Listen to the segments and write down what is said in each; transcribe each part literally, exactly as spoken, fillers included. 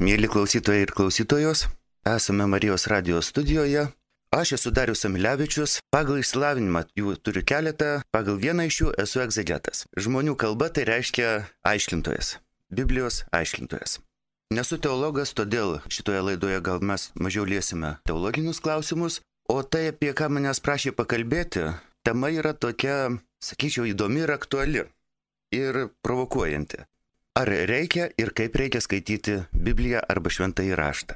Mėly klausytojai ir klausytojos, esame Marijos radijos studijoje. Aš esu Darius Amilevičius, pagal išsilavinimą jų turiu keletą, pagal vieną iš jų esu egzegetas. Žmonių kalba tai reiškia aiškintojas, Biblijos aiškintojas. Nesu teologas, todėl šitoje laidoje gal mes mažiau liesime teologinius klausimus, o tai, apie ką manęs prašė pakalbėti, tema yra tokia, sakyčiau, įdomi ir aktuali ir provokuojanti. Ar reikia ir kaip reikia skaityti Bibliją arba šventąjį raštą?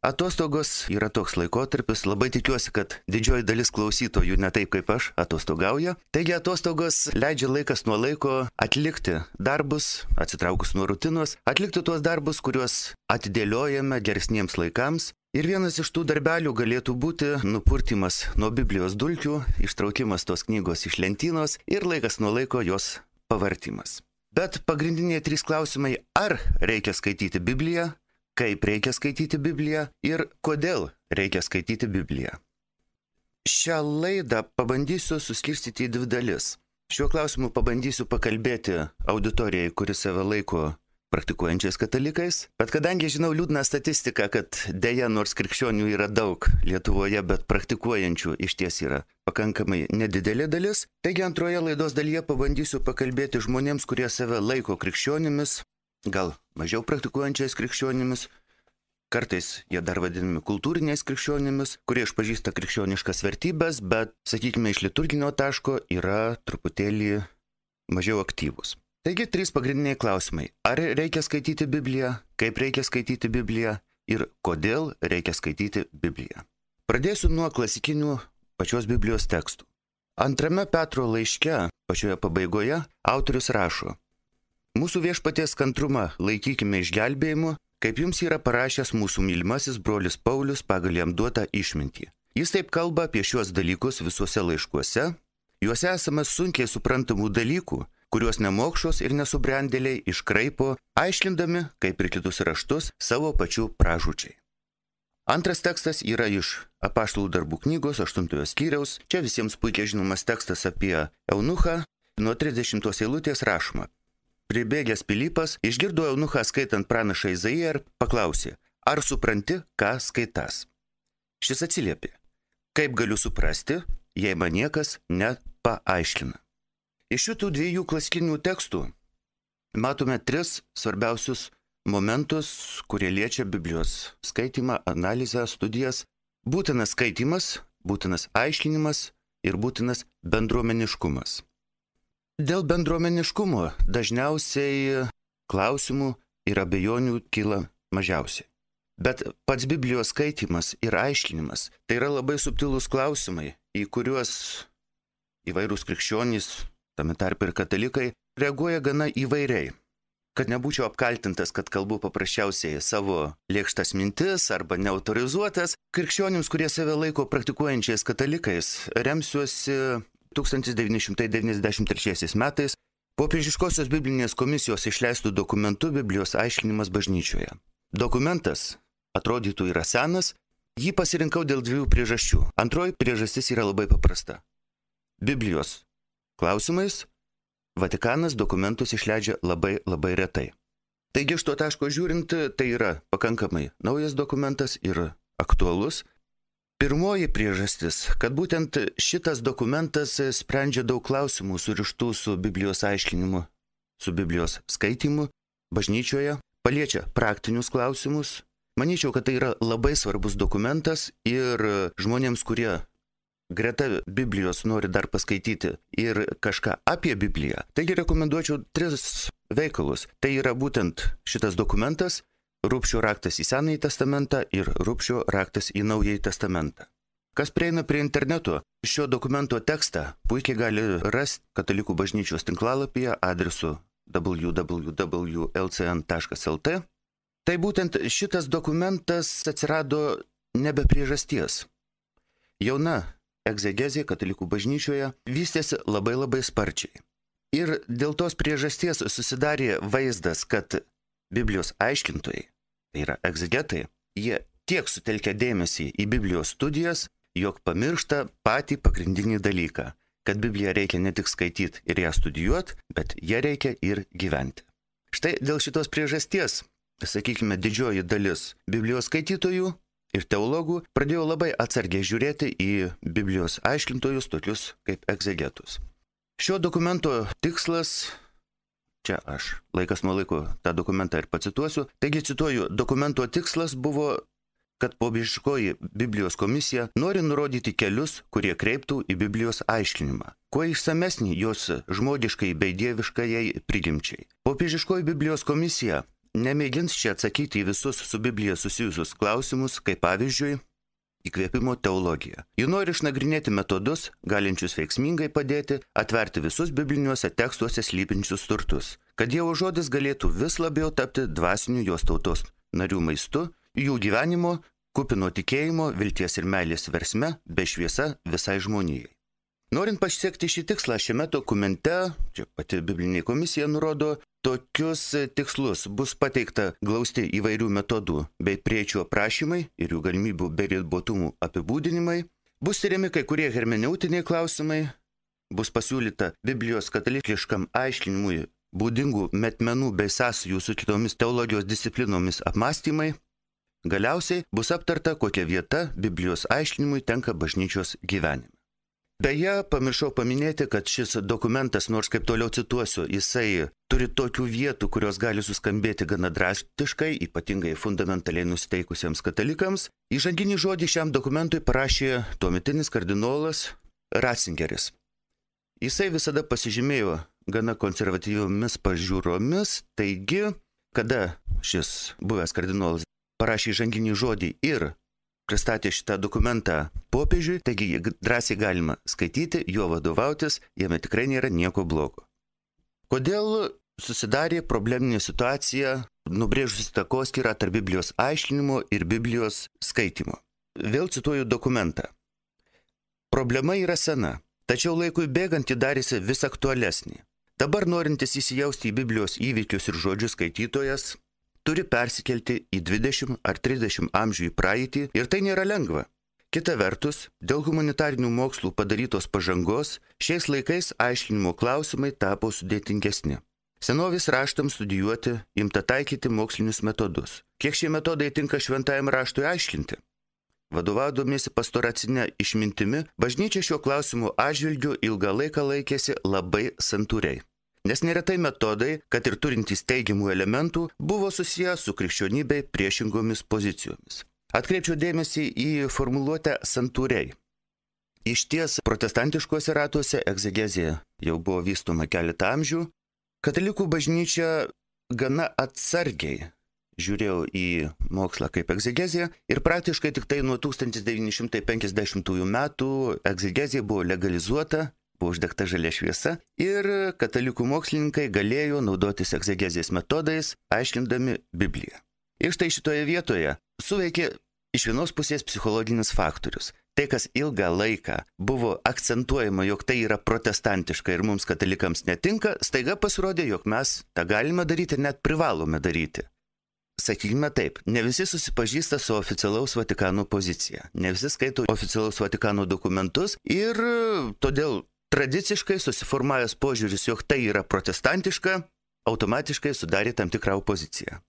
Atostogos yra toks laikotarpis, labai tikiuosi, kad didžioji dalis klausytojų ne taip kaip aš atostogauja. Taigi atostogos leidžia laikas nuo laiko atlikti darbus, atsitraukus nuo rutinos, atlikti tuos darbus, kuriuos atidėliojame geresniems laikams. Ir vienas iš tų darbelių galėtų būti nupurtimas nuo Biblijos dulkių, ištraukimas tos knygos iš lentynos ir laikas nuo laiko jos pavartimas. Bet pagrindiniai trys klausimai, ar reikia skaityti Bibliją, kaip reikia skaityti Bibliją ir kodėl reikia skaityti Bibliją. Šią laidą pabandysiu suskirstyti į dvi dalis. Šiuo klausimu pabandysiu pakalbėti auditorijai, kuri save laiko praktikuojančiais katalikais, bet kadangi žinau liūdną statistiką, kad deja nors krikščionių yra daug Lietuvoje, bet praktikuojančių iš ties yra pakankamai nedidelė dalis, taigi antroje laidos dalyje pabandysiu pakalbėti žmonėms, kurie save laiko krikščionimis, gal mažiau praktikuojančiais krikščionimis, kartais jie dar vadinami kultūriniais krikščionimis, kurie išpažįsta krikščioniškas vertybės, bet, sakykime, iš liturginio taško yra truputėlį mažiau aktyvūs. Taigi, trys pagrindiniai klausimai. Ar reikia skaityti Bibliją, kaip reikia skaityti Bibliją ir kodėl reikia skaityti Bibliją. Pradėsiu nuo klasikinių pačios Biblijos tekstų. Antrame Petro laiške, pačioje pabaigoje, autorius rašo: Mūsų viešpaties kantrumą laikykime išgelbėjimu, kaip jums yra parašęs mūsų mylimasis brolis Paulius pagal jam duotą išmintį. Jis taip kalba apie šiuos dalykus visuose laiškuose. Juose esame sunkiai suprantamų dalykų, kuriuos nemokšos ir nesubrendėliai iškraipo, aiškindami, kaip ir kitus raštus, savo pačių pražūčiai. Antras tekstas yra iš Apaštalų darbų knygos aštuntojo skyriaus. Čia visiems puikiai žinomas tekstas apie eunuchą. Nuo trisdešimtos eilutės rašoma: Pribėgęs Pilypas išgirdo eunuchą skaitant pranašą Izaiją ir paklausė: Ar supranti, ką skaitas? Šis atsiliepė: Kaip galiu suprasti, jei man niekas nepaaiškina? Iš šitų dviejų klasikinių tekstų matome tris svarbiausius momentus, kurie liečia Biblijos skaitymą, analizę, studijas. Būtinas skaitimas, būtinas aiškinimas ir būtinas bendruomeniškumas. Dėl bendruomeniškumo dažniausiai klausimų ir abejonių kyla mažiausiai. Bet pats Biblijos skaitimas ir aiškinimas tai yra labai subtilūs klausimai, į kuriuos įvairūs krikščionys, tame tarpe ir katalikai, reaguoja gana įvairiai. Kad nebūčiau apkaltintas, kad kalbu paprasčiausiai savo lėkštas mintis arba neautorizuotas, krikščionims, kurie save laiko praktikuojančiais katalikais, remsiuosi tūkstantis devyni šimtai devyniasdešimt trečiaisiais metais Popiežiškosios Biblinės komisijos išleistų dokumentų Biblijos aiškinimas bažnyčioje. Dokumentas atrodytų yra senas, jį pasirinkau dėl dviejų priežasčių. Antroji priežastis yra labai paprasta. Biblijos klausimais Vatikanas dokumentus išleidžia labai labai retai. Taigi iš to taško žiūrint, tai yra pakankamai naujas dokumentas ir aktualus. Pirmoji priežastis, kad būtent šitas dokumentas sprendžia daug klausimų surištų su Biblijos aiškinimu, su Biblijos skaitimu bažnyčioje, paliečia praktinius klausimus. Manyčiau, kad tai yra labai svarbus dokumentas ir žmonėms, kurie greta Biblijos nori dar paskaityti ir kažką apie Bibliją. Taigi rekomenduočiau tris veikalus. Tai yra būtent šitas dokumentas, Rubšio raktas į Senąjį testamentą ir Rubšio raktas į Naująjį testamentą. Kas prieina prie interneto, šio dokumento tekstą puikiai gali rasti Katalikų bažnyčios tinklalapyje adresu w w w taškas l c n taškas l t. Tai būtent šitas dokumentas atsirado ne be priežasties. Jauna egzegezė Katalikų bažnyčioje vystėsi labai labai sparčiai. Ir dėl tos priežasties susidarė vaizdas, kad Biblijos aiškintojai, tai yra egzegetai, jie tiek sutelkia dėmesį į Biblijos studijas, jog pamiršta patį pagrindinį dalyką, kad Bibliją reikia ne tik skaityti ir ją studijuoti, bet ją reikia ir gyventi. Štai dėl šitos priežasties sakykime, didžioji dalis Biblijos skaitytojų ir teologų pradėjo labai atsargiai žiūrėti į Biblijos aiškintojus, tokius kaip egzegetus. Šio dokumento tikslas, čia aš laikas nuo laiko tą dokumentą ir pacituosiu, taigi cituoju, dokumento tikslas buvo, kad popiežiškoji Biblijos komisija nori nurodyti kelius, kurie kreiptų į Biblijos aiškinimą, kuo išsamesnį jos žmogiškai bei dieviškajai prigimčiai. Popiežiškoji Biblijos komisija nemėgins čia atsakyti į visus su Biblija susijusius klausimus, kaip pavyzdžiui, įkvėpimo teologija. Ji nori išnagrinėti metodus, galinčius veiksmingai padėti atverti visus bibliniuose tekstuose slypinčius turtus, kad Dievo žodis galėtų vis labiau tapti dvasiniu jos tautos narių maistu, jų gyvenimo, kupino tikėjimo, vilties ir meilės versme, bei šviesa visai žmonijai. Norint pasiekti šį tikslą, šiame dokumente, čia pati Biblinė komisija nurodo, tokius tikslus bus pateikta glausti įvairių metodų bei priečių aprašymai ir jų galimybių bei ribotumų apibūdinimai, bus tyriami kai kurie hermeneutiniai klausimai, bus pasiūlyta Biblijos katalikiškam aiškinimui būdingų metmenų bei sąsajų su kitomis teologijos disciplinomis apmąstymai. Galiausiai bus aptarta, kokia vieta Biblijos aiškinimui tenka bažnyčios gyvenime. Beje, pamiršau paminėti, kad šis dokumentas, nors kaip toliau cituosiu, jisai turi tokių vietų, kurios gali suskambėti gana drastiškai, ypatingai fundamentaliai nusiteikusiems katalikams. Įžanginį žodį šiam dokumentui parašė tuometinis kardinolas Ratzingeris. Jisai visada pasižymėjo gana konservatyviomis pažiūromis, taigi, kada šis buvęs kardinolas parašė įžanginį žodį ir pristatė šitą dokumentą popiežiui, taigi jį drąsiai galima skaityti, juo vadovautis, jame tikrai nėra nieko blogo. Kodėl susidarė probleminė situacija, nubrėžusi takoskyrą tarp Biblijos aiškinimo ir Biblijos skaitimo? Vėl cituoju dokumentą. Problema yra sena, tačiau laikui bėgant ji darėsi vis aktualesnė. Dabar norintis įsijausti į Biblijos įvykius ir žodžius skaitytojas turi persikelti į dvidešimt ar trisdešimt amžių į praeitį ir tai nėra lengva. Kita vertus, dėl humanitarinių mokslų padarytos pažangos, šiais laikais aiškinimo klausimai tapo sudėtingesni. Senovės raštams studijuoti imta taikyti mokslinius metodus. Kiek šie metodai tinka šventajam raštui aiškinti? Vadovaudomėsi pastoracinę išmintimi, bažnyčia šio klausimų atžvilgiu ilgą laiką laikėsi labai santūriai. Nes neretai metodai, kad ir turintys teigiamų elementų, buvo susiję su krikščionybei priešingomis pozicijomis. Atkreipčiau dėmesį į formuluotę santūriai. Iš ties protestantiškuose ratuose egzegezija jau buvo vystoma keletą amžių. Katalikų bažnyčia gana atsargiai žiūrėjau į mokslą kaip egzegezija ir praktiškai tik tai nuo tūkstantis devyni šimtai penkiasdešimtųjų metų egzegezija buvo legalizuota, buvo uždegta žalia šviesa ir katalikų mokslininkai galėjo naudotis egzegezijos metodais, aiškindami Bibliją. Ir štai šitoje vietoje suveikė iš vienos pusės psichologinis faktorius. Tai, kas ilgą laiką buvo akcentuojama, jog tai yra protestantiška ir mums katalikams netinka, staiga pasirodė, jog mes tą galime daryti ir net privalome daryti. Sakykime taip, ne visi susipažįsta su oficialaus Vatikano pozicija, ne visi skaito oficialaus Vatikano dokumentus ir todėl tradiciškai susiformavęs požiūris, jog tai yra protestantiška, automatiškai sudarė tam tikrą opoziciją.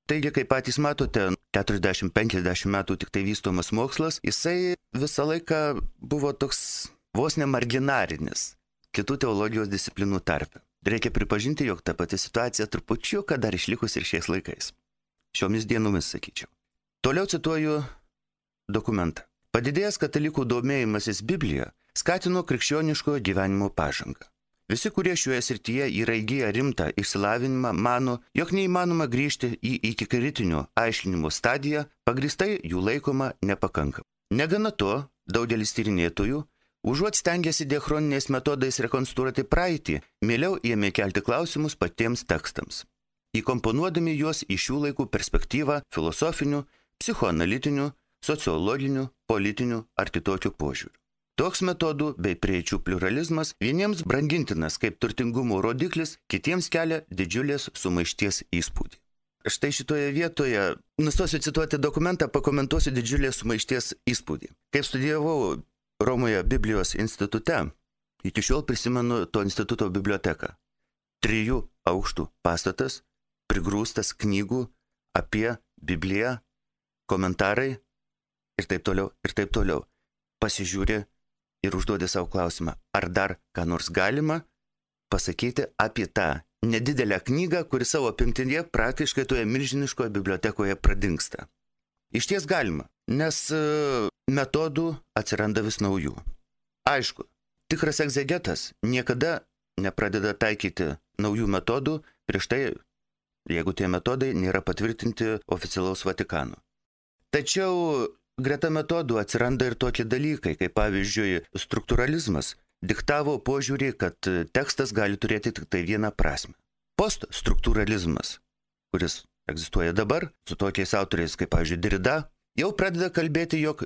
Taigi, kaip patys matote, keturiasdešimt penkiasdešimt metų tik tai vystomas mokslas, jisai visą laiką buvo toks vos ne marginarinis kitų teologijos disciplinų tarpe. Reikia pripažinti, jog ta pati situacija trupučiuką dar išlikus ir šiais laikais. Šiomis dienomis, sakyčiau. Toliau cituoju dokumentą. Padidėjęs katalikų domėjimasis Biblija skatino krikščioniškojo gyvenimo pažangą. Visi, kurie šioje srityje yra įgiję rimtą išsilavinimą, mano, jog neįmanoma grįžti į ikikritinio aiškinimo stadiją, pagrįstai jų laikoma nepakankama. Negana to, daugelis tyrinėtojų, užuot stengiasi diachroniniais metodais rekonstruoti praeitį, mieliau ėmė kelti klausimus patiems tekstams, įkomponuodami juos į šių laikų perspektyvą filosofinių, psichoanalitinių, sociologinių, politinių ar kitokių požiūrių. Toks metodų bei prieičių pluralizmas vieniems brangintinas kaip turtingumo rodiklis, kitiems kelia didžiulės sumaišties įspūdį. Štai šitoje vietoje nustosiu cituoti dokumentą, pakomentuosiu didžiulės sumaišties įspūdį. Kaip studijavau Romoje Biblijos institute, iki šiol prisimenu to instituto biblioteką. Trijų aukštų pastatas, prigrūstas knygų, apie Bibliją, komentarai ir taip toliau, ir taip toliau. Pasižiūri ir užduodi savo klausimą, ar dar ką nors galima pasakyti apie tą nedidelę knygą, kuri savo apimtyje praktiškai toje milžiniškoje bibliotekoje pradingsta. Iš ties galima, nes metodų atsiranda vis naujų. Aišku, tikras egzegetas niekada nepradeda taikyti naujų metodų prieš tai, jeigu tie metodai nėra patvirtinti oficialaus Vatikano. Tačiau greta metodų atsiranda ir tokie dalykai, kaip pavyzdžiui struktūralizmas diktavo požiūrį, kad tekstas gali turėti tik tai vieną prasme. Poststruktūralizmas, kuris egzistuoja dabar, su tokiais autoriais kaip pavyzdžiui Derrida, jau pradeda kalbėti, jog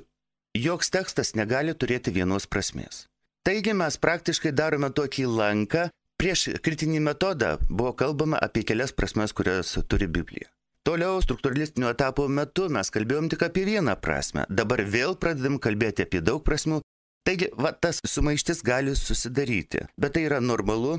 joks tekstas negali turėti vienos prasmės. Taigi mes praktiškai darome tokį lanką. Prieš kritinį metodą buvo kalbama apie kelias prasmes, kurias turi Biblija. Toliau struktūralistinio etapo metu mes kalbėjom tik apie vieną prasmę. Dabar vėl pradedam kalbėti apie daug prasmių. Taigi, va, tas sumaištis gali susidaryti. Bet tai yra normalu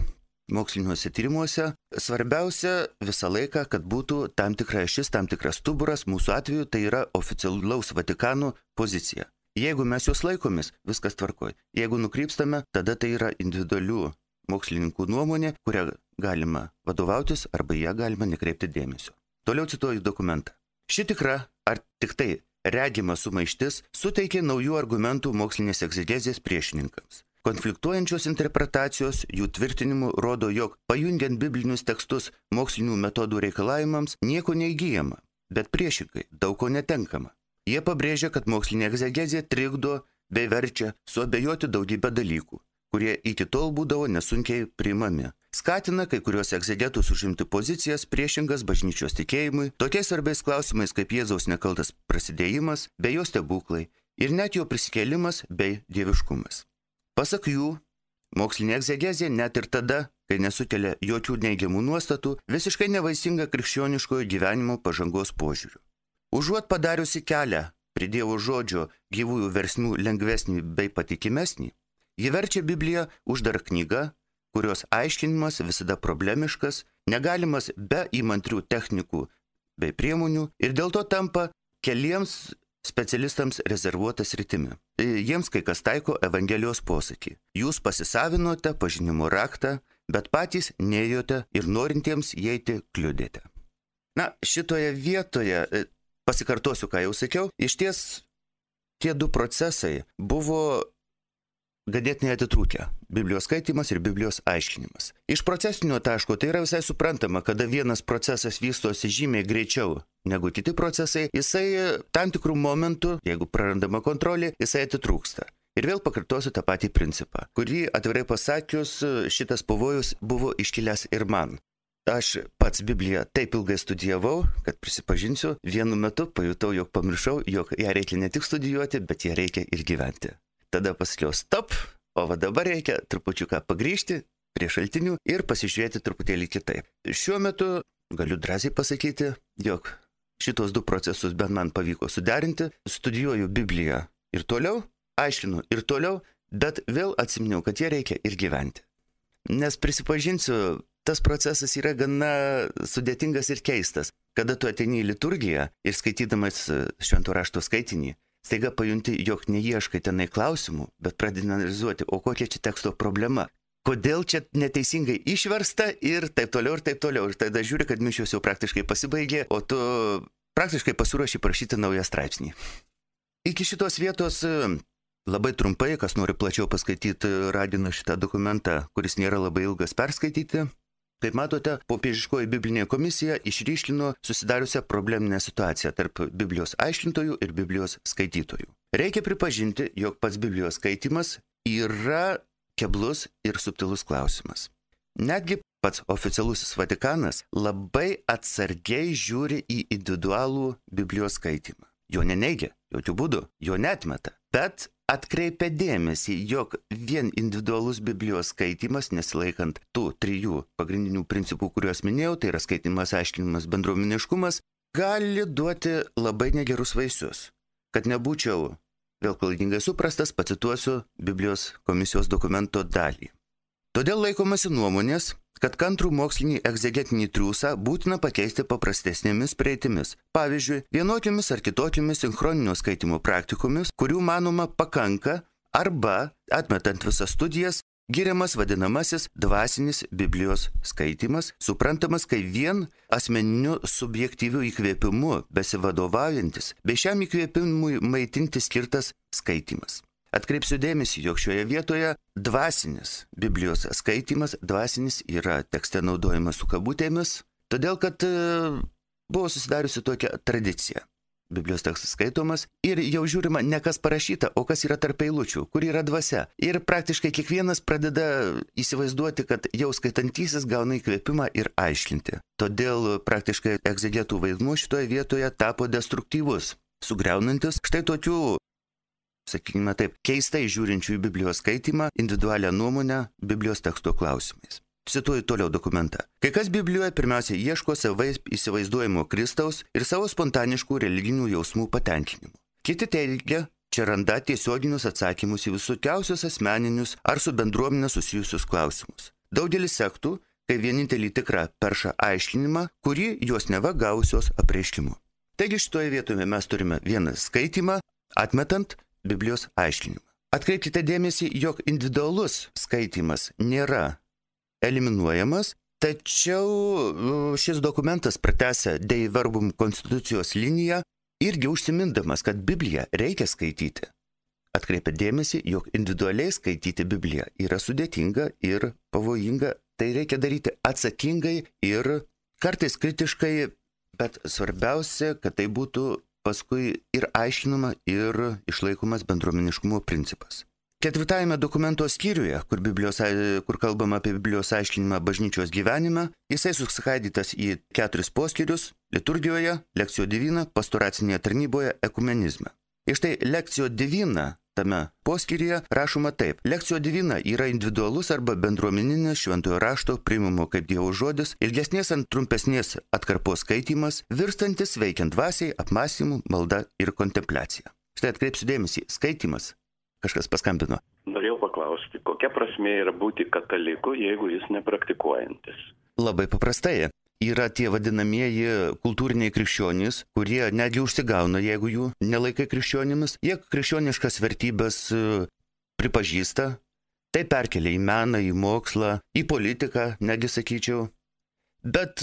moksliniuose tyrimuose. Svarbiausia visą laiką, kad būtų tam tikra ašis, tam tikras stuburas. Mūsų atveju tai yra oficialaus Vatikano pozicija. Jeigu mes jos laikomis, viskas tvarkoj. Jeigu nukrypstame, tada tai yra individualių mokslininkų nuomonė, kurią galima vadovautis arba ją galima nekreipti dėmesio. Toliau cituoju dokumentą. Ši tikra, ar tik tai regima sumaištis, suteikė naujų argumentų mokslinės egzegezės priešininkams. Konfliktuojančios interpretacijos jų tvirtinimu rodo, jog pajungiant biblinius tekstus mokslinių metodų reikalavimams nieko neįgyjama, bet priešingai daug ko netenkama. Jie pabrėžia, kad mokslinė egzegezė trikdo bei verčia suabejoti daugybę dalykų, kurie iki tol būdavo nesunkiai priimami. Skatina kai kurios egzegetus užimti pozicijas priešingas bažnyčios tikėjimui, tokiais svarbiais klausimais kaip Jėzaus nekaltas prasidėjimas bei jo stebuklai ir net jo prisikėlimas bei dieviškumas. Pasak jų, mokslinė egzegezė net ir tada, kai nesukelia jokių neigiamų nuostatų, visiškai nevaisinga krikščioniškojo gyvenimo pažangos požiūriu. Užuot padariusi kelią prie Dievo žodžio gyvųjų versmių lengvesnį bei patikimesnį, ji verčia Bibliją uždarą knygą, kurios aiškinimas visada problemiškas, negalimas be įmantrių technikų bei priemonių ir dėl to tampa keliems specialistams rezervuota sritimi. Jiems kai kas taiko Evangelijos posakį. Jūs pasisavinote pažinimo raktą, bet patys neėjote ir norintiems įeiti kliudėte. Na, šitoje vietoje, pasikartosiu, ką jau sakiau, iš ties tie du procesai buvo ganėtinai atitrūkę – Biblijos skaitymas ir Biblijos aiškinimas. Iš procesinio taško tai yra visai suprantama, kada vienas procesas vystosi žymiai greičiau negu kiti procesai, jisai tam tikrų momentų, jeigu prarandama kontrolė, jisai atitrūksta. Ir vėl pakartosiu tą patį principą, kurį atvirai pasakius šitas pavojus buvo iškilęs ir man. Aš pats Bibliją taip ilgai studijavau, kad prisipažinsiu, vienu metu pajutau, jog pamiršau, jog ją reikia ne tik studijuoti, bet ją reikia ir gyventi. Tada pasakiau stop, o va dabar reikia trupučiuką pagrįžti prie šaltinių ir pasižiūrėti truputėlį kitaip. Šiuo metu galiu drąsiai pasakyti, jog šitos du procesus bent man pavyko suderinti, studijuoju Bibliją ir toliau, aiškinu ir toliau, bet vėl atsiminiau, kad ją reikia ir gyventi. Nes prisipažinsiu, tas procesas yra gana sudėtingas ir keistas. Kada tu ateini į liturgiją ir skaitydamas švento rašto skaitinį, staiga pajunti, jog neieškai tenai klausimų, bet pradedi analizuoti, o kokia čia teksto problema, kodėl čia neteisingai išversta ir taip toliau ir taip toliau. Ir tada žiūri, kad mišios jau praktiškai pasibaigė, o tu praktiškai pasiruoši parašyti naują straipsnį. Iki šitos vietos labai trumpai, kas nori plačiau paskaityti, raginu šitą dokumentą, kuris nėra labai ilgas, perskaityti. Kaip matote, popiežiškoji biblinė komisija išryškino susidariusią probleminę situaciją tarp Biblijos aiškintojų ir Biblijos skaitytojų. Reikia pripažinti, jog pats Biblijos skaitimas yra keblus ir subtilus klausimas. Netgi pats oficialusis Vatikanas labai atsargiai žiūri į individualų Biblijos skaitimą. Jo neneigia, jokių būdų, jo neatmeta, bet atkreipia dėmesį, jog vien individualus Biblijos skaitymas, nesilaikant tų trijų pagrindinių principų, kuriuos minėjau, tai yra skaitimas, aiškinimas, bendruomeniškumas, gali duoti labai negerus vaisius. Kad nebūčiau vėl klaidingai suprastas, pacituosiu Biblijos komisijos dokumento dalį. Todėl laikomasi nuomonės, kad kantrų mokslinį egzegetinį triūsą būtina pakeisti paprastesnėmis prieitimis. Pavyzdžiui, vienokiomis ar kitokiomis sinchroninio skaitimo praktikomis, kurių manoma pakanka, arba, atmetant visas studijas, giriamas vadinamasis dvasinis Biblijos skaitymas, suprantamas kaip vien asmeniniu subjektyviu įkvėpimu besivadovaujantis, bei šiam įkvėpimui maitinti skirtas skaitymas. Atkreipsiu dėmesį, jog šioje vietoje dvasinis Biblijos skaitymas, dvasinis yra tekste naudojamas su kabutėmis, todėl kad buvo susidariusi tokia tradicija. Biblijos tekstas skaitomas ir jau žiūrima ne kas parašyta, o kas yra tarp eilučių, kur yra dvasia. Ir praktiškai kiekvienas pradeda įsivaizduoti, kad jau skaitantysis gauna įkvėpimą ir aiškinti. Todėl praktiškai egzegetų vaidmuo šitoje vietoje tapo destruktyvus, sugriaunantis štai tokių, sakykime taip, keistai žiūrinčių į Biblijos skaitymą, individualią nuomonę Biblijos teksto klausimais. Cituoju toliau dokumentą. Kai kas Biblijoje pirmiausia ieško savai įsivaizduojamo Kristaus ir savo spontaniškų religinių jausmų patenkinimų. Kiti teigia, čia randa tiesioginius atsakymus į visokiausius asmeninius ar su bendruomenė susijusius klausimus. Daugelis sektų, kai vienintelį tikrą peršą aiškinimą, kurį jos neva gausios apreiškimu. Taigi šitoje vietoje mes turime vieną skaitimą, atmetant Biblijos aiškinimą. Atkreipkite dėmesį, jog individualus skaitymas nėra eliminuojamas, tačiau šis dokumentas pratęsia Dei Verbum konstitucijos liniją irgi užsimindamas, kad Bibliją reikia skaityti. Atkreipia dėmesį, jog individualiai skaityti Bibliją yra sudėtinga ir pavojinga, tai reikia daryti atsakingai ir kartais kritiškai, bet svarbiausia, kad tai būtų paskui ir aiškinama, ir išlaikomas bendruomeniškumo principas. Ketvirtajame dokumento skyriuje, kur, Biblijos, kur kalbama apie Biblijos aiškinimą bažnyčios gyvenime, jisai suskaidytas į keturis poskyrius – liturgijoje, lekcijo divina, pastoracinėje tarnyboje, ekumenizme. Ir štai lekcijo divina tame poskyryje rašoma taip. Lekcijo divina yra individualus arba bendruomeninis šventojo rašto priimamo kaip Dievo žodis, ilgesnės ant trumpesnės atkarpos skaitymas, virstantis veikiant dvasiai, apmąstymu, malda ir kontempliacija. Štai atkreipsiu dėmesį, skaitymas. Kažkas paskambino. Norėjau paklausti, kokia prasmė yra būti kataliku, jeigu jis nepraktikuojantis? Labai paprastai. Yra tie vadinamieji kultūriniai krikščionys, kurie netgi užsigauna, jeigu jų nelaikai krikščionimis. Jie krikščioniškas vertybės pripažįsta, tai perkelia į meną, į mokslą, į politiką, netgi sakyčiau. Bet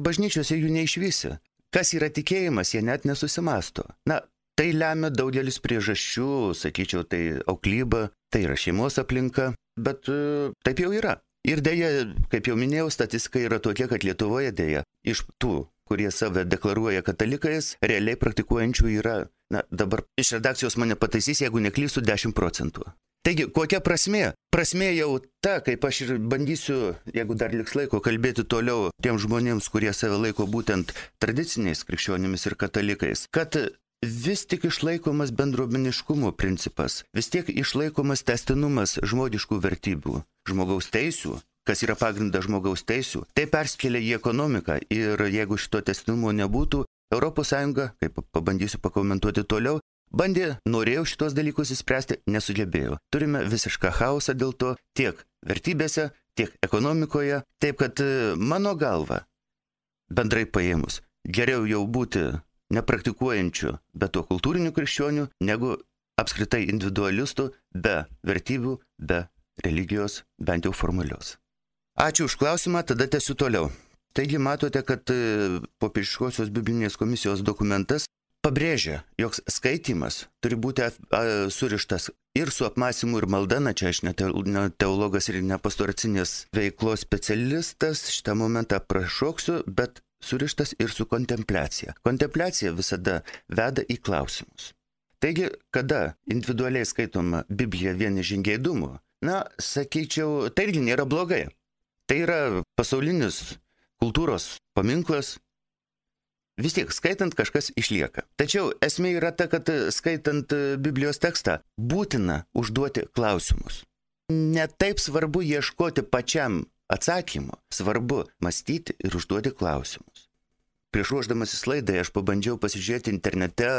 bažnyčiose jų neišvysi. Kas yra tikėjimas, jie net nesusimasto. Na, tai lemia daugelis priežasčių, sakyčiau, tai auklyba, tai yra šeimos aplinka, bet taip jau yra. Ir dėja, kaip jau minėjau, statistika yra tokia, kad Lietuvoje dėja iš tų, kurie save deklaruoja katalikais, realiai praktikuojančių yra, na, dabar iš redakcijos mane pataisys, jeigu neklystu, dešimt procentų. Taigi, kokia prasmė? Prasmė jau ta, kaip aš ir bandysiu, jeigu dar liks laiko, kalbėti toliau tiem žmonėms, kurie save laiko būtent tradiciniais krikščionimis ir katalikais, kad vis tik išlaikomas bendruomeniškumo principas, vis tiek išlaikomas tęstinumas žmogiškų vertybių, žmogaus teisių, kas yra pagrindas žmogaus teisių, tai perskelia į ekonomiką ir jeigu šito tęstinumo nebūtų, Europos Sąjunga, kaip pabandysiu pakomentuoti toliau, bandė, norėjo šitos dalykus įspręsti, nesugebėjo. Turime visišką chaosą dėl to tiek vertybėse, tiek ekonomikoje, taip kad mano galva, bendrai paėmus, geriau jau būti nepraktikuojančių, bet to kultūrinių krikščionių, negu apskritai individualistų be vertybių, be religijos, bent jau formalios. Ačiū už klausimą, tada tęsiu toliau. Taigi matote, kad popiežiškosios biblinės komisijos dokumentas pabrėžia, jog skaitymas turi būti surištas ir su apmąstymu ir malda, na čia aš ne teologas ir ne pastoracinės veiklos specialistas, šitą momentą prašoksiu, bet surištas ir su kontempliacija. Kontempliacija visada veda į klausimus. Taigi, kada individualiai skaitoma Biblija vien iš žingeidumo, na, sakyčiau, tai irgi nėra blogai. Tai yra pasaulinis kultūros paminklas. Vis tiek, skaitant, kažkas išlieka. Tačiau esmė yra ta, kad skaitant Biblijos tekstą būtina užduoti klausimus. Ne taip svarbu ieškoti pačiam atsakymo, svarbu mąstyti ir užduoti klausimus. Prieš ruošdamasis laidai aš pabandžiau pasižiūrėti internete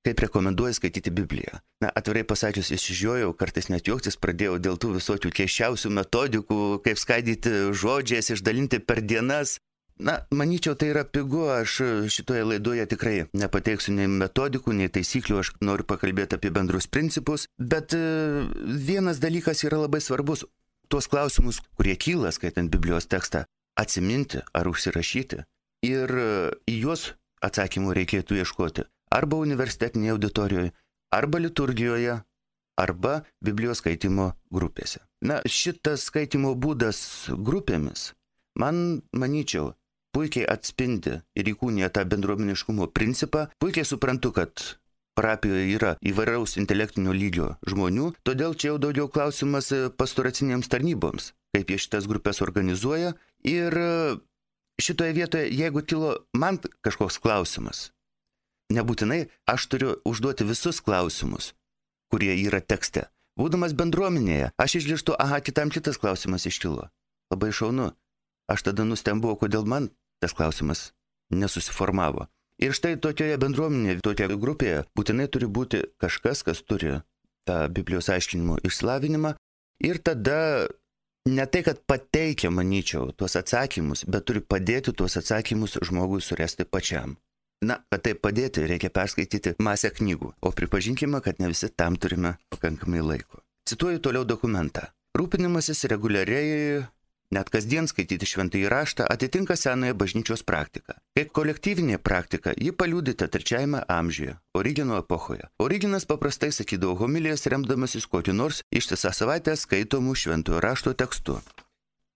kaip rekomenduoju skaityti Bibliją. Na, atvirai pasakius, išžiojau, kartais net juoktis pradėjau dėl tų visokių keiščiausių metodikų, kaip skaidyti žodžiais, išdalinti per dienas. Na, manyčiau, tai yra pigu, aš šitoje laidoje tikrai nepateiksiu nei metodikų, nei taisyklių, aš noriu pakalbėti apie bendrus principus, bet vienas dalykas yra labai svarbus. Tuos klausimus, kurie kyla skaitant Biblijos tekstą, atsiminti ar užsirašyti ir į juos atsakymų reikėtų ieškoti arba universitetinėje auditorijoje, arba liturgijoje, arba Biblijos skaitimo grupėse. Na, šitas skaitimo būdas grupėmis, man, manyčiau, puikiai atspindi ir įkūnija tą bendruomeniškumo principą. Puikiai suprantu, kad parapijoje yra įvairaus intelektinio lygio žmonių, todėl čia jau daugiau klausimas pastoracinėms tarnyboms, kaip jie šitas grupės organizuoja. Ir šitoje vietoje, jeigu kilo man kažkoks klausimas, nebūtinai aš turiu užduoti visus klausimus, kurie yra tekste. Būdamas bendruomenėje, aš išgirstu, aha, kitam kitas klausimas iškilo. Labai šaunu. Aš tada nustembu, kodėl man tas klausimas nesusiformavo. Ir štai tokioje bendruomenėje, tokioje grupėje būtinai turi būti kažkas, kas turi tą Biblijos aiškinimo išsilavinimą. Ir tada ne tai, kad pateikia, manyčiau, tuos atsakymus, bet turi padėti tuos atsakymus žmogui surasti pačiam. Na, kad tai padėti, reikia perskaityti masę knygų, o pripažinkime, kad ne visi tam turime pakankamai laiko. Cituoju toliau dokumentą. Rūpinimasis reguliariai, net kasdien skaityti šventąjį raštą atitinka senąją bažnyčios praktiką. Kaip kolektyvinė praktika, ji paliudyta trečiajame amžiuje, Origeno epochoje. Origenas paprastai sakydavo homilijas remdamasis kokiu nors ištisą savaitę skaitomų šventojo rašto tekstu.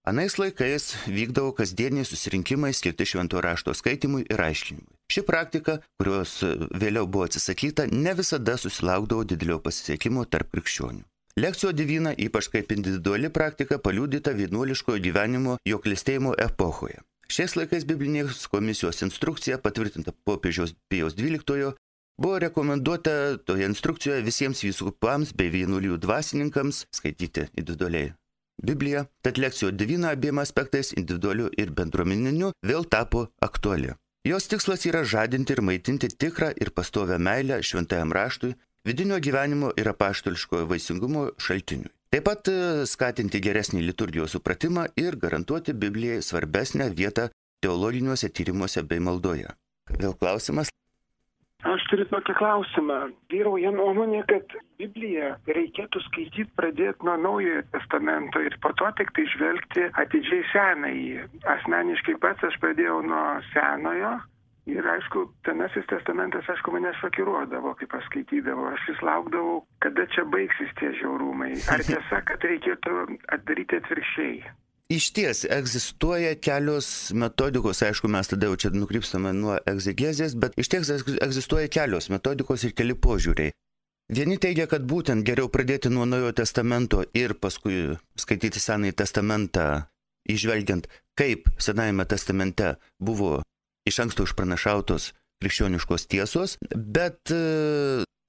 Anais laikais vykdavo kasdieniai susirinkimai skirti šventojo rašto skaitimui ir aiškinimui. Ši praktika, kurios vėliau buvo atsisakyta, ne visada susilaukdavo didelio pasisekimo tarp krikščionių. Lekcijo divina, ypač kaip individuali praktika, paliudyta vienuoliškojo gyvenimo jo klestėjimo epochoje. Šiais laikais biblinės komisijos instrukcija, patvirtinta popiežiaus Pijaus dvyliktojo, buvo rekomenduota toje instrukcijoje visiems vyskupams bei vienuolijų dvasininkams skaityti individualiai Bibliją, tad lekcijo divina abiem aspektais, individualiu ir bendruomeniniu, vėl tapo aktuali. Jos tikslas yra žadinti ir maitinti tikrą ir pastovę meilę šventajam raštui, vidinio gyvenimo ir apaštališkojo vaisingumo šaltiniui. Taip pat skatinti geresnį liturgijos supratimą ir garantuoti Biblijai svarbesnę vietą teologiniuose tyrimuose bei maldoje. Vėl klausimas. Aš turiu tokį klausimą. Vyrauja nuomonė, kad Bibliją reikėtų skaityti pradėti nuo Naujojo testamento ir po to tik tai žvelgti atidžiai Senąjį. Asmeniškai pats aš pradėjau nuo Senojo. Ir aišku, Senasis testamentas, aišku, mane šokiruodavo, kai paskaitydavo. Aš vis laukdavau, kada čia baigsis tie žiaurumai. Ar tiesa, kad reikėtų daryti atvirkščiai? Iš ties, egzistuoja kelios metodikos, aišku, mes tada jau čia nukrypstame nuo egzegezės, bet iš ties egzistuoja kelios metodikos ir keli požiūriai. Vieni teigia, kad būtent geriau pradėti nuo Naujojo testamento ir paskui skaityti Senąjį testamentą, įžvelgiant, kaip Senajame testamente buvo iš anksto išpranašautos krikščioniškos tiesos, bet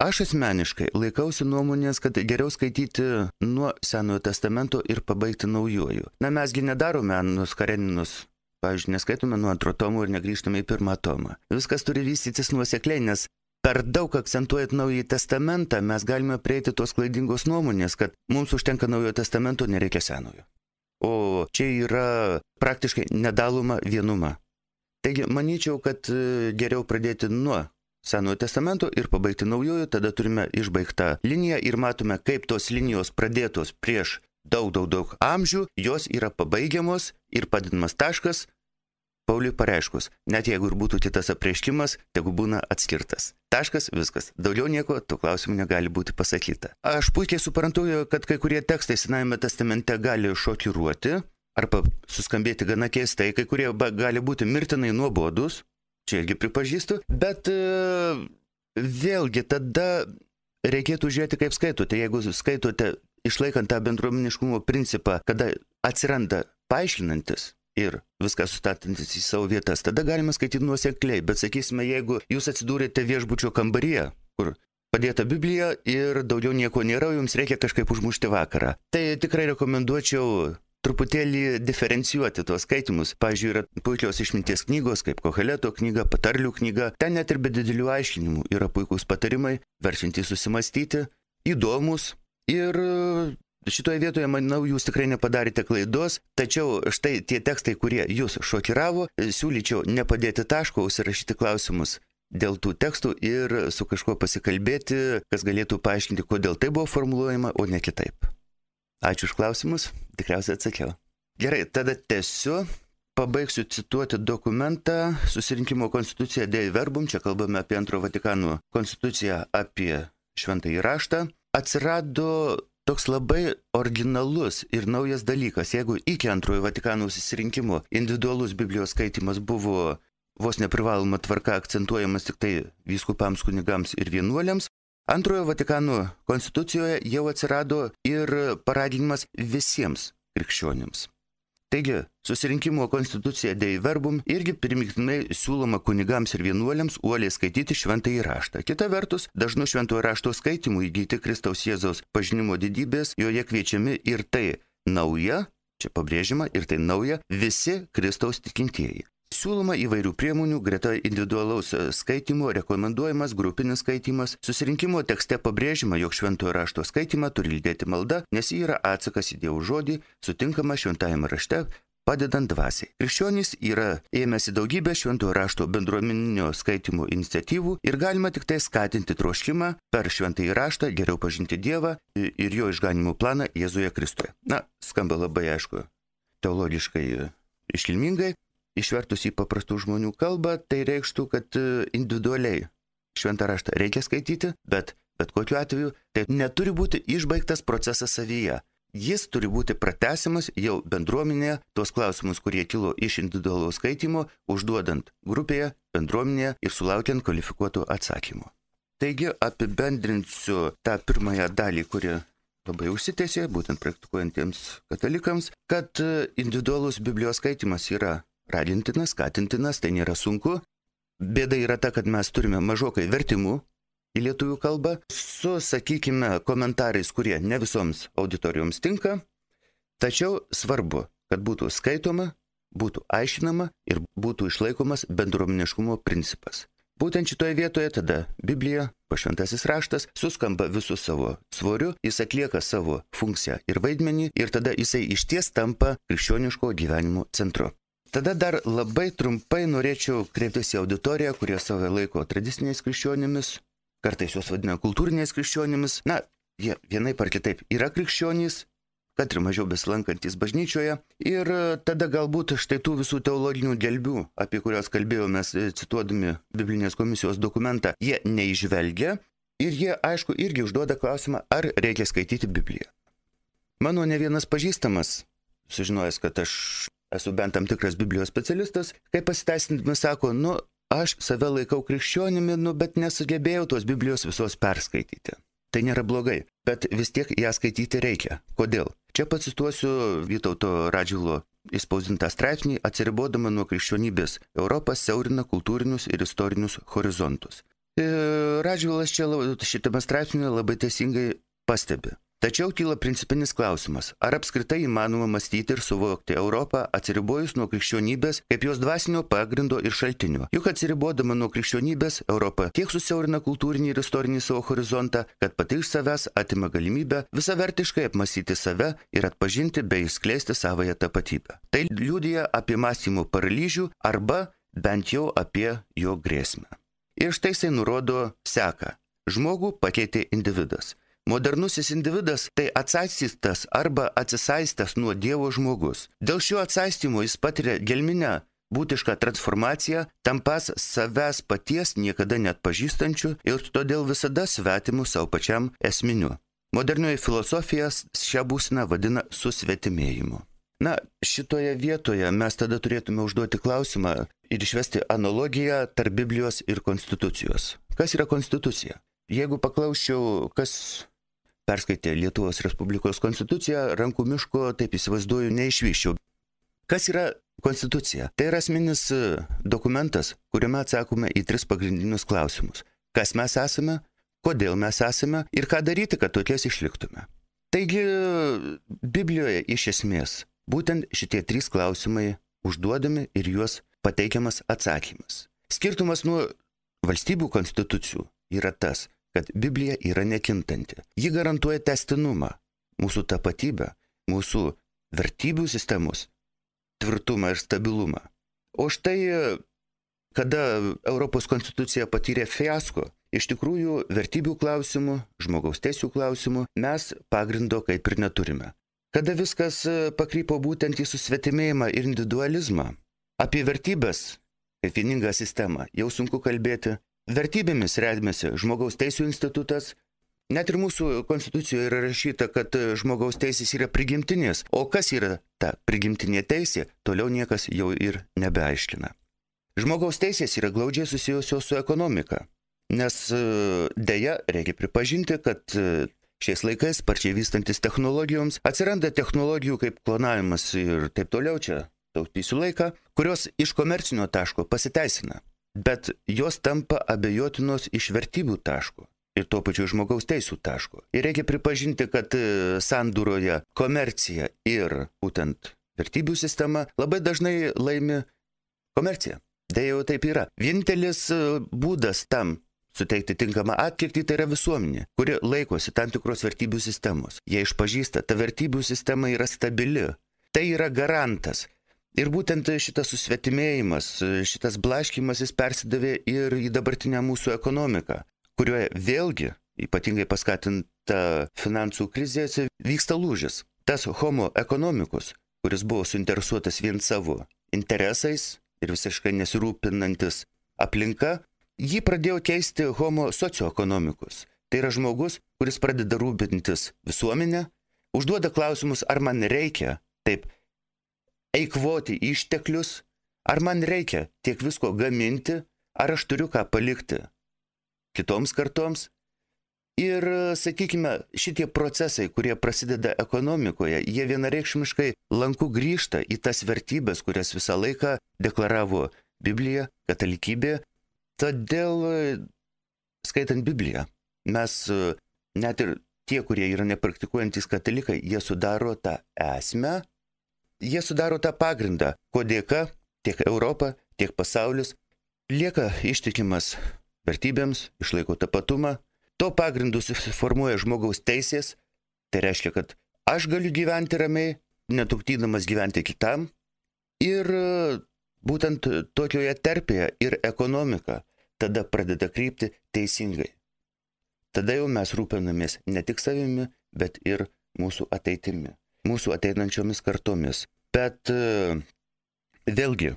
aš asmeniškai laikausi nuomonės, kad geriau skaityti nuo Senojo testamento ir pabaigti Naujuoju. Na, mesgi nedarome Annus Kareninus, pavyzdžiui, neskaitome nuo antro tomo ir negrįžtame į pirmą tomą. Viskas turi vystytis nuosekliai, nes per daug akcentuojant Naująjį testamentą mes galime prieiti tos klaidingos nuomonės, kad mums užtenka Naujojo testamento, nereikia Senojo. O čia yra praktiškai nedaloma vienuma. Taigi, manyčiau, kad geriau pradėti nuo Senojo testamento ir pabaigti Naujojo, tada turime išbaigtą liniją ir matome, kaip tos linijos pradėtos prieš daug, daug, daug amžių, jos yra pabaigiamos ir padinamas taškas Pauliui pareiškus. Net jeigu ir būtų kitas apreiškimas, tegu būna atskirtas. Taškas, viskas. Daugiau nieko, tų klausimų negali būti pasakyta. Aš puikiai suprantu, kad kai kurie tekstai Senajame testamente gali šokiruoti arba suskambėti gana keistai, kai kurie gali būti mirtinai nuobodus. Čia irgi pripažįstu, bet e, vėlgi tada reikėtų žiūrėti, kaip skaitote. Jeigu skaitote išlaikant tą bendruomeniškumo principą, kada atsiranda paaiškinantis ir viską sustatantis į savo vietas, tada galima skaityti nuosekliai. Bet sakysime, jeigu jūs atsidūrėte viešbučio kambaryje, kur padėta Biblija ir daugiau nieko nėra, jums reikia kažkaip užmušti vakarą, tai tikrai rekomenduočiau truputėlį diferencijuoti tuos skaitimus. Pavyzdžiui, yra puikios išminties knygos, kaip Koheleto knyga, Patarlių knyga. Ten net ir be didelių aiškinimų yra puikūs patarimai, verčiantys susimastyti, įdomus. Ir šitoje vietoje, manau, jūs tikrai nepadarėte klaidos, tačiau štai tie tekstai, kurie jūs šokiravo, siūlyčiau nepadėti taško, užsirašyti klausimus dėl tų tekstų ir su kažkuo pasikalbėti, kas galėtų paaiškinti, kodėl tai buvo formuluojama, o ne kitaip. Ačiū už klausimus, tikriausiai atsakiau. Gerai, tada tęsiu, pabaigsiu cituoti dokumentą Susirinkimo konstitucija Dei Verbum, čia kalbame apie Antrojo Vatikano konstituciją, apie šventąjį raštą. Atsirado toks labai originalus ir naujas dalykas, jeigu iki Antrojo Vatikano susirinkimo individualus Biblijos skaitimas buvo vos neprivaloma tvarka akcentuojamas tik tai vyskupams, kunigams ir vienuoliams, Antrojo Vatikano konstitucijoje jau atsirado ir paraginimas visiems krikščionims. Taigi, Susirinkimo konstitucija Dei Verbum irgi primygtinai siūloma kunigams ir vienuoliams uoliai skaityti šventąjį raštą. Kita vertus, dažnu šventojo rašto skaitimu įgyti Kristaus Jėzaus pažinimo didybės, joje kviečiami ir tai nauja, čia pabrėžima, ir tai nauja, visi Kristaus tikintieji. Siūloma įvairių priemonių, greta individualaus skaitimo rekomenduojamas grupinis skaitimas. Susirinkimo tekste pabrėžima, jog šventojo rašto skaitimą turi lydėti malda, nes ji yra atsakas į Dievo žodį, sutinkama šventajame rašte, padedant dvasiai. Krikščionys yra ėmėsi daugybę šventojo rašto bendruomeninio skaitimo iniciatyvų ir galima tik tai skatinti troškimą per šventąjį raštą geriau pažinti Dievą ir jo išganimo planą Jėzuje Kristuje. Na, skamba labai aišku, teologiškai iškilmingai. Išvertus į paprastų žmonių kalbą, tai reikštų, kad individualiai šventą raštą reikia skaityti, bet bet kokiu atveju tai neturi būti išbaigtas procesas savyje. Jis turi būti pratęsimas jau bendruomenėje, tuos klausimus, kurie kilo iš individualaus skaitimo, užduodant grupėje, bendruomenėje ir sulaukiant kvalifikuotų atsakymų. Taigi apibendrinsiu tą pirmąją dalį, kuri labai užsitęsė, būtent praktikuojantiems katalikams, kad individualus Biblijos skaitimas yra ragintinas, skatintinas, tai nėra sunku. Bėda yra ta, kad mes turime mažokai vertimų į lietuvių kalbą su, sakykime, komentarais, kurie ne visoms auditorijoms tinka, tačiau svarbu, kad būtų skaitoma, būtų aišinama ir būtų išlaikomas bendruomeniškumo principas. Būtent šitoje vietoje tada Biblija, pašventasis raštas, suskamba visų savo svoriu, jis atlieka savo funkciją ir vaidmenį ir tada jisai išties tampa krikščioniško gyvenimo centru. Tada dar labai trumpai norėčiau kreiptis į auditoriją, kurie save laiko tradiciniais krikščionimis, kartais juos vadina kultūriniais krikščionimis. Na, jie vienaip ar kitaip yra krikščionys, kad ir mažiau besilankantis bažnyčioje. Ir tada galbūt štai tų visų teologinių gelbių, apie kurios kalbėjome cituodami Biblinės komisijos dokumentą, jie neižvelgia ir jie, aišku, irgi užduoda klausimą, ar reikia skaityti Bibliją. Mano ne vienas pažįstamas, sužinojęs, kad aš esu bent tam tikras Biblijos specialistas, kai pasiteisindami sako, nu, aš save laikau krikščionimi, nu, bet nesugebėjau tos Biblijos visos perskaityti. Tai nėra blogai, bet vis tiek ją skaityti reikia. Kodėl? Čia pacituosiu Vytauto Radžvilo įspausdintą straipsnį, atsiribodama nuo krikščionybės. Europa siaurina kultūrinius ir istorinius horizontus. Radžvilas čia šitame straipsnėje labai teisingai pastebi. Tačiau kyla principinis klausimas, ar apskritai įmanoma mąstyti ir suvokti Europą atsiribojus nuo krikščionybės kaip jos dvasinio pagrindo ir šaltinio. Juk atsiribodama nuo krikščionybės, Europa tiek susiaurina kultūrinį ir istorinį savo horizontą, kad pati iš savęs atima galimybę visavertiškai apmąstyti save ir atpažinti bei išskleisti savąją tapatybę. Tai liudija apie mąstymo paralyžių arba bent jau apie jo grėsmę. Ir štai jisai nurodo seką. Žmogų pakeitė individas. Modernusis individas tai atsaistas arba atsisaistęs nuo Dievo žmogus. Dėl šio atsaistymo jis patiria gelminę būtišką transformaciją, tampas savęs paties niekada net pažįstančių ir todėl visada svetimu savo pačiam esminiu. Modernioji filosofija šią būseną vadina susvetimėjimu. Na, šitoje vietoje mes tada turėtume užduoti klausimą ir išvesti analogiją tarp Biblijos ir konstitucijos. Kas yra konstitucija? Jeigu paklausčiau, kas perskaitė Lietuvos Respublikos konstituciją, rankų miško, taip įsivaizduoju, neišvyščiau. Kas yra konstitucija? Tai yra asmeninis dokumentas, kuriame atsakome į tris pagrindinius klausimus. Kas mes esame, kodėl mes esame ir ką daryti, kad tokies išliktume. Taigi, Biblijoje iš esmės būtent šitie trys klausimai užduodami ir juos pateikiamas atsakymas. Skirtumas nuo valstybių konstitucijų yra tas, kad Biblija yra nekintanti. Ji garantuoja tęstinumą, mūsų tapatybę, mūsų vertybių sistemos tvirtumą ir stabilumą. O štai, kada Europos konstitucija patyrė fiasko, iš tikrųjų vertybių klausimų, žmogaus teisių klausimų mes pagrindo kaip ir neturime. Kada viskas pakrypo būtent į susvetimėjimą ir individualizmą, apie vertybės kaip vieningą sistemą jau sunku kalbėti. Vertybėmis remiasi žmogaus teisių institutas. Net ir mūsų konstitucijoje yra rašyta, kad žmogaus teisės yra prigimtinės. O kas yra ta prigimtinė teisė, toliau niekas jau ir nebeaiškina. Žmogaus teisės yra glaudžiai susijusios su ekonomika. Nes deja, reikia pripažinti, kad šiais laikais, sparčiai vystantis technologijoms, atsiranda technologijų kaip klonavimas ir taip toliau, čia taupysiu laiką, kurios iš komercinio taško pasiteisina, bet jos tampa abejotinos iš vertybių taško ir tuo pačiu žmogaus teisų taško. Ir reikia pripažinti, kad sandūroje komercija ir būtent vertybių sistema labai dažnai laimi komerciją. Deja jau taip yra. Vienintelis būdas tam suteikti tinkamą atkirtį tai yra visuomenė, kuri laikosi tam tikros vertybių sistemos. Jie išpažįsta, ta vertybių sistema yra stabili. Tai yra garantas. Ir būtent šitas susvetimėjimas, šitas blaškymas jis persidavė ir į dabartinę mūsų ekonomiką, kurioje vėlgi, ypatingai paskatinta finansų krizės, vyksta lūžis. Tas homo economicus, kuris buvo suinteresuotas vien savo interesais ir visiškai nesirūpinantis aplinka, jį pradėjo keisti homo socioeconomicus. Tai yra žmogus, kuris pradeda rūpintis visuomenę, užduoda klausimus, ar man reikia taip eikvoti išteklius, ar man reikia tiek visko gaminti, ar aš turiu ką palikti kitoms kartoms. Ir, sakykime, šitie procesai, kurie prasideda ekonomikoje, jie vienareikšmiškai lanku grįžta į tas vertybės, kurias visą laiką deklaravo Biblija, katalikybė. Todėl, skaitant Bibliją, mes, net ir tie, kurie yra nepraktikuojantys katalikai, jie sudaro tą esmę, jie sudaro tą pagrindą, ko dėka tiek Europa, tiek pasaulis lieka ištikimas vertybėms, išlaiko tapatumą. To pagrindu susiformuoja žmogaus teisės, tai reiškia, kad aš galiu gyventi ramiai, netrukdydamas gyventi kitam. Ir būtent tokioje terpėje ir ekonomika tada pradeda krypti teisingai. Tada jau mes rūpinamės ne tik savimi, bet ir mūsų ateitimi, mūsų ateinančiomis kartomis. Bet vėlgi,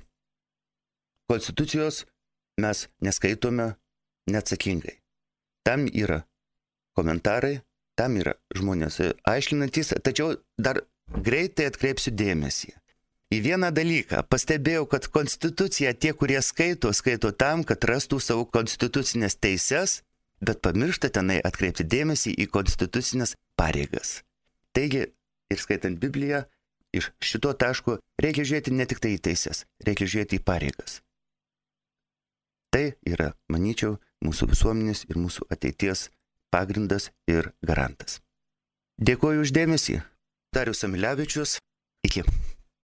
konstitucijos mes neskaitome neatsakingai. Tam yra komentarai, tam yra žmonės aiškinantys, tačiau dar greitai atkreipsiu dėmesį į vieną dalyką. Pastebėjau, kad konstituciją tie, kurie skaito, skaito tam, kad rastų savo konstitucinės teises, bet pamiršta tenai atkreipti dėmesį į konstitucinės pareigas. Taigi, ir skaitant Bibliją, iš šito taško reikia žiūrėti ne tik tai į teises, reikia žiūrėti į pareigas. Tai yra, manyčiau, mūsų visuomenės ir mūsų ateities pagrindas ir garantas. Dėkuoju už dėmesį. Darius Amilevičius. Iki.